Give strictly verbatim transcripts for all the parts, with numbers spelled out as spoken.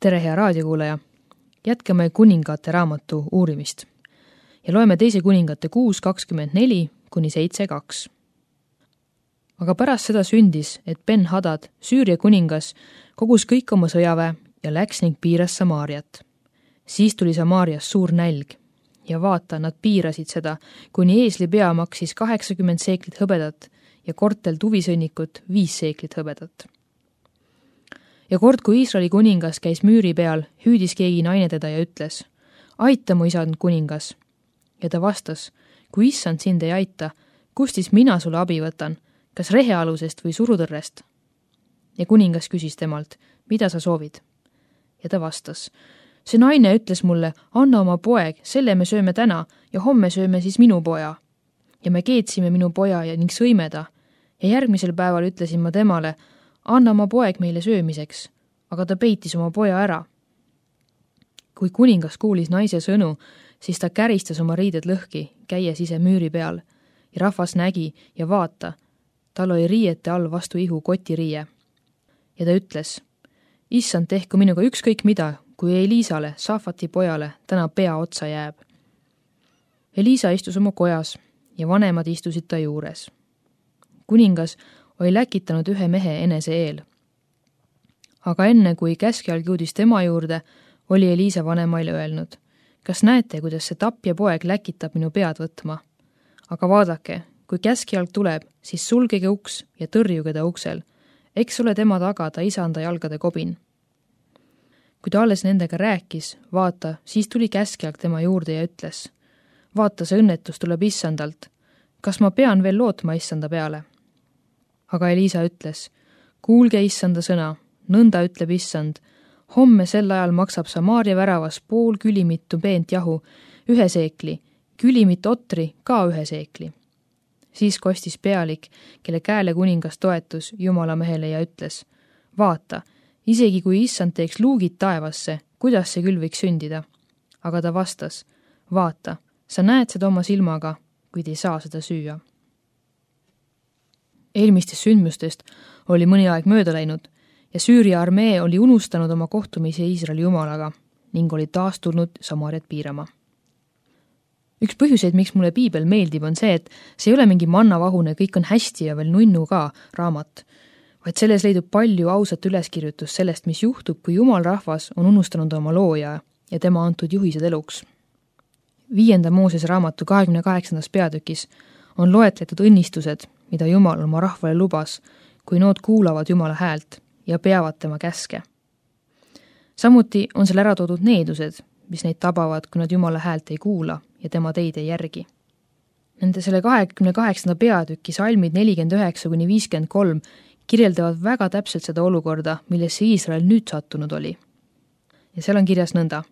Tere, hea raadiokuulaja! Jätkame kuningate raamatu uurimist ja loeme teise kuningate kuus kakskümmend neli kuni seitse kaks. Aga pärast seda sündis, et Ben-Hadad, Süüria kuningas, kogus kõik oma sõjaväe ja läks ning piiras Samaariat. Siis tuli Samaarias suur nälg ja vaata, nad piirasid seda, kuni eesli pea maksis kaheksakümmend seeklit hõbedat ja kortel tuvisõnnikut viis seeklit hõbedat. Ja kord, kui Iisraeli kuningas käis müüri peal, hüüdis keegi naine teda ja ütles, aita mu isand kuningas. Ja ta vastas, kui issand sind ei aita, kust siis mina sulle abi võtan, kas rehealusest või surutõrrest? Ja kuningas küsis temalt, mida sa soovid? Ja ta vastas, see naine ütles mulle, anna oma poeg, selle me sööme täna ja homme sööme siis minu poja. Ja me keetsime minu poja ja ning sõime ta. Ja järgmisel päeval ütlesin ma temale, anna oma poeg meile söömiseks, aga ta peitis oma poja ära. Kui kuningas kuulis naise sõnu, siis ta käristas oma riided lõhki, käies ise müüri peal, ja rahvas nägi ja vaata, tal oli riiete all vastu ihu kotiriie. Ja ta ütles, issand tehku minuga ükskõik mida, kui Eliisale, Safati pojale, täna pea otsa jääb. Eliisa istus oma kojas ja vanemad istusid ta juures. Kuningas oli läkitanud ühe mehe enese eel. Aga enne, kui käskjalg jõudis tema juurde, oli Eliisa vanemaile öelnud, kas näete, kuidas see tapja poeg läkitab minu pead võtma? Aga vaadake, kui käskjalg tuleb, siis sulgege uks ja tõrjuge ta uksel. Eks ole tema taga ta isanda jalgade kobin. Kui ta alles nendega rääkis, vaata, siis tuli käskjalg tema juurde ja ütles, vaata, see õnnetus tuleb issandalt. Kas ma pean veel lootma issanda peale? Aga Eliisa ütles, kuulge issanda sõna, nõnda ütleb issand, homme sel ajal maksab Samaaria väravas pool külimittu peent jahu, ühe seekli, külimit otri ka ühe seekli. Siis kostis pealik, kelle käele kuningas toetus Jumala mehele ja ütles, vaata, isegi kui issand teeks luugid taevasse, kuidas see küll võiks sündida? Aga ta vastas, vaata, sa näed seda oma silmaga, kuid ei saa seda süüa. Eelmistest sündmustest oli mõni aeg mööda läinud ja Süüria armee oli unustanud oma kohtumise Iisraeli jumalaga ning oli taas tulnud Samaariat piirama. Üks põhjuseid, miks mulle piibel meeldib, on see, et see ei ole mingi mannavahune, kõik on hästi ja veel nunnu ka raamat, vaid selles leidub palju ausat üleskirjutus sellest, mis juhtub, kui Jumal rahvas on unustanud oma looja ja tema antud juhised eluks. Viienda Moosese raamatu kahekümne kaheksandas peatükis on loetletud õnnistused, mida Jumal oma rahvale lubas, kui nood kuulavad Jumala häält ja peavad tema käske. Samuti on seal ära toodud needused, mis neid tabavad, kui nad Jumala häält ei kuula ja tema teid ei järgi. Nende selle kahekümne kaheksanda peatüki salmid nelikümmend üheksa kuni viiskümmend kolm kirjeldavad väga täpselt seda olukorda, millesse Iisrael nüüd sattunud oli. Ja seal on kirjas nõnda.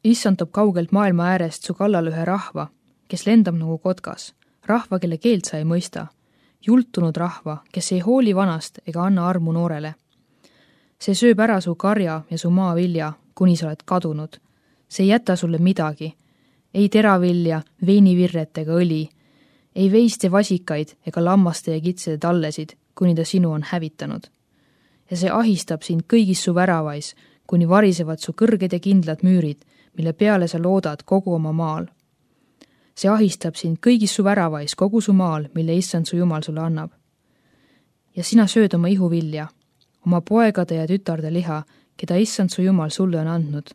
Issand toob kaugelt maailma äärest su kallal ühe rahva, kes lendab nagu kotkas, rahva, kelle keelt sa ei mõista, jultunud rahva, kes ei hooli vanast ega anna armu noorele. See sööb ära su karja ja su maavilja, kuni sa oled kadunud. See ei jäta sulle midagi, ei teravilja, veinivirret ega õli, ei veiste vasikaid ega lammaste ja kitsede tallesid, kuni ta sinu on hävitanud. Ja see ahistab sind kõigis su väravais, kuni varisevad su kõrged ja kindlad müürid, mille peale sa loodad kogu oma maal. See ahistab sind kõigis su väravais kogu su maal, mille issand su Jumal sulle annab. Ja sina sööd oma ihuvilja, oma poegade ja tütarde liha, keda issand su Jumal sulle on andnud,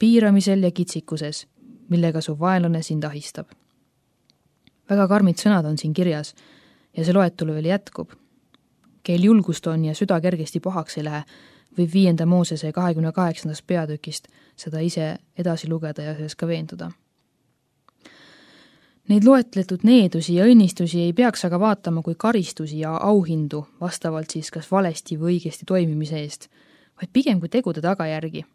piiramisel ja kitsikuses, millega su vaenlane sind ahistab. Väga karmid sõnad on siin kirjas ja see loetelu veel jätkub. Keel julgust on ja süda kergesti pahaks ei lähe, võib viienda Moosese kahekümne kaheksandast peatükist seda ise edasi lugeda ja selles ka veenduda. Neid loetletud needusi ja õnnistusi ei peaks aga vaatama kui karistusi ja auhindu vastavalt siis kas valesti või õigesti toimimise eest, vaid pigem kui tegude tagajärgi.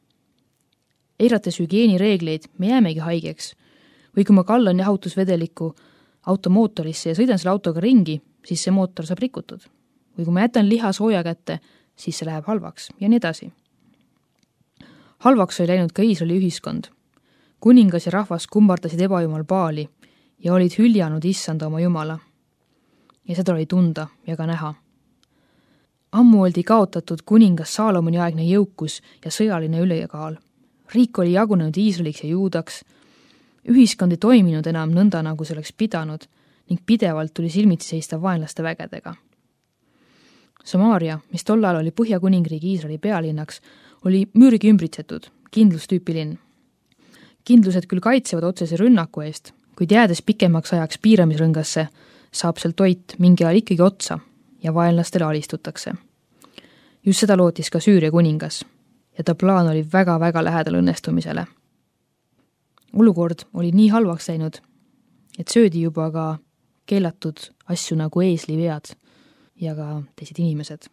Eirates hügieenireegleid me jäämegi haigeks või kui ma kallan jahutusvedeliku automootorisse ja sõidan selle autoga ringi, siis see mootor saab rikutud. Või kui ma jätan liha sooja kätte, siis see läheb halvaks ja nii edasi. Halvaks oli läinud ka Iisraeli ühiskond. Kuningas ja rahvas kummardasid ebajumal Baali ja olid hüljanud issanda oma Jumala. Ja seda oli tunda ja ka näha. Ammu oldi kaotatud kuningas Saalomoni aegne jõukus ja sõjaline ülekaal. Riik oli jagunenud Iisraeliks ja Juudaks. Ühiskond ei toiminud enam nõnda, nagu see oleks pidanud ning pidevalt tuli silmitsi seista vaenlaste vägedega. Samaaria, mis tol ajal oli Põhjakuningriigi Iisraeli pealinnaks, oli müürigi ümbritsetud, kindlustüüpi linn. Kindlused küll kaitsevad otsese rünnaku eest, kuid jäädes pikemaks ajaks piiramisrõngasse, saab seal toit mingi ajal ikkagi otsa ja vaenlastele alistutakse. Just seda lootis ka Süüria kuningas ja ta plaan oli väga-väga lähedal õnnestumisele. Olukord oli nii halvaks läinud, et söödi juba ka keelatud asju nagu eeslivead ja ka teised inimesed.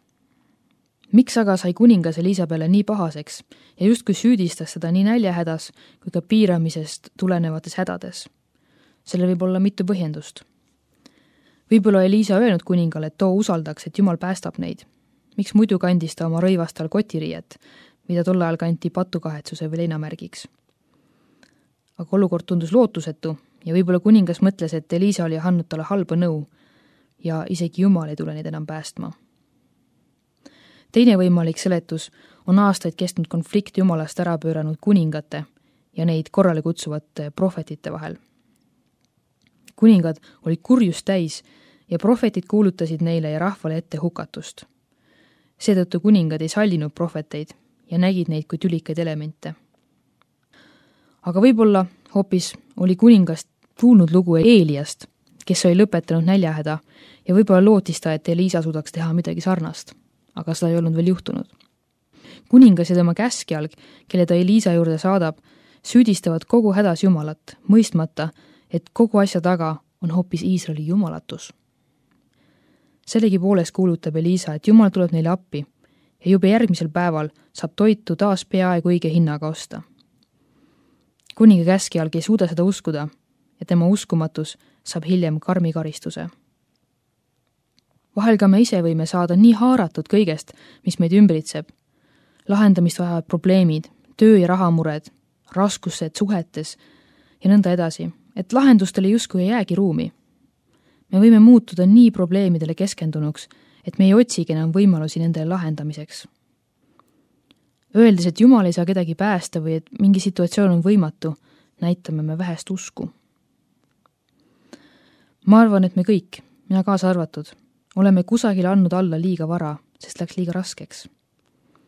Miks aga sai kuningas Elisabele nii pahaseks ja justkui süüdistas seda nii näljahädas kui ka piiramisest tulenevates hädades? Sellel võib olla mitu põhjendust. Võib-olla Elisa öelnud kuningale, et too usaldaks, et Jumal päästab neid. Miks muidu kandis ta oma rõivastal kotiriiet, mida tol ajal kanti patukahetsuse või leinamärgiks? Aga olukord tundus lootusetu ja võib-olla kuningas mõtles, et Elisa oli andnud talle halba nõu ja isegi Jumal ei tule neid enam päästma. Teine võimalik seletus on aastaid kestnud konflikt Jumalast ära pööranud kuningate ja neid korrale kutsuvate prohvetite vahel. Kuningad olid kurjust täis ja prohvetid kuulutasid neile ja rahvale ette hukatust. Seetõttu kuningad ei sallinud prohveteid ja nägid neid kui tülikaid elemente. Aga võib-olla hoopis oli kuningast kuulnud lugu Eeliast, kes oli lõpetanud näljahäda ja võib-olla lootis ta, et Elisa suudaks teha midagi sarnast, aga seda ei olnud veel juhtunud. Kuningas ja tema käskjalg, kelle ta Elisa juurde saadab, süüdistavad kogu hädas Jumalat, mõistmata, et kogu asja taga on hoopis Iisraeli jumalatus. Sellegi poolest kuulutab Elisa, et Jumal tuleb neile appi ja juba järgmisel päeval saab toitu taas peaaegu õige hinnaga osta. Kuninga käskjalg ei suuda seda uskuda ja tema uskumatus saab hiljem karmi karistuse. Vahel ka me ise võime saada nii haaratud kõigest, mis meid ümbritseb. Lahendamist vajavad probleemid, töö- ja rahamured, raskused suhetes ja nõnda edasi, et lahendustele justkui ei jäägi ruumi. Me võime muutuda nii probleemidele keskendunuks, et me ei otsigi enam võimalusi nendele lahendamiseks. Öeldes, et Jumal ei saa kedagi päästa või et mingi situatsioon on võimatu, näitame me vähest usku. Ma arvan, et me kõik, mina kaasa arvatud, oleme kusagil andnud alla liiga vara, sest läks liiga raskeks.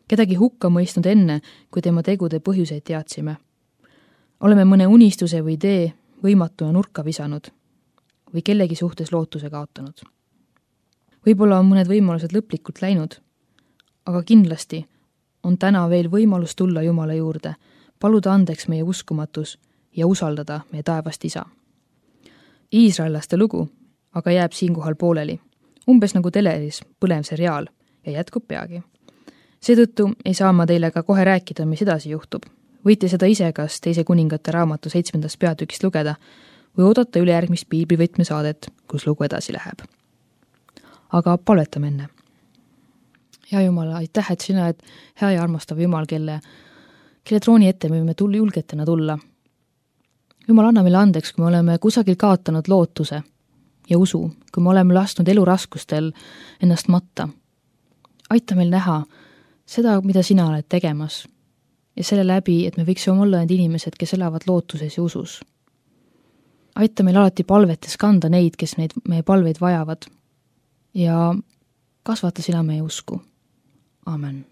Kedagi hukka mõistnud enne, kui tema tegude põhjuseid teadsime. Oleme mõne unistuse või idee võimatuna nurka visanud või kellegi suhtes lootuse kaotanud. Võib-olla on mõned võimalused lõplikult läinud, aga kindlasti on täna veel võimalus tulla Jumala juurde, paluda andeks meie uskumatus ja usaldada meie taevast isa. Iisraellaste lugu aga jääb siinkohal pooleli, umbes nagu teleris põlev seriaal ja jätkub peagi. Seetõttu ei saa ma teile ka kohe rääkida, mis edasi juhtub. Võite seda ise kas teise kuningate raamatu seitsmendast peatükist lugeda või oodata ülejärgmist piiblivõtmesaadet, kus lugu edasi läheb. Aga palvetame enne. Hea Jumal, aitäh, et sina oled hea ja armastav Jumal, kelle, kelle trooni ette me võime tulla julgetena tulla. Jumal, anna meile andeks, kui me oleme kusagil kaotanud lootuse ja usu, kui me oleme lasknud eluraskustel ennast matta. Aita meil näha seda, mida sina oled tegemas ja selle läbi, et me võiksime olla need inimesed, kes elavad lootuses ja usus. Aita meil alati palvetes kanda neid, kes neid meie palveid vajavad ja kasvata sina meie usku. Amen.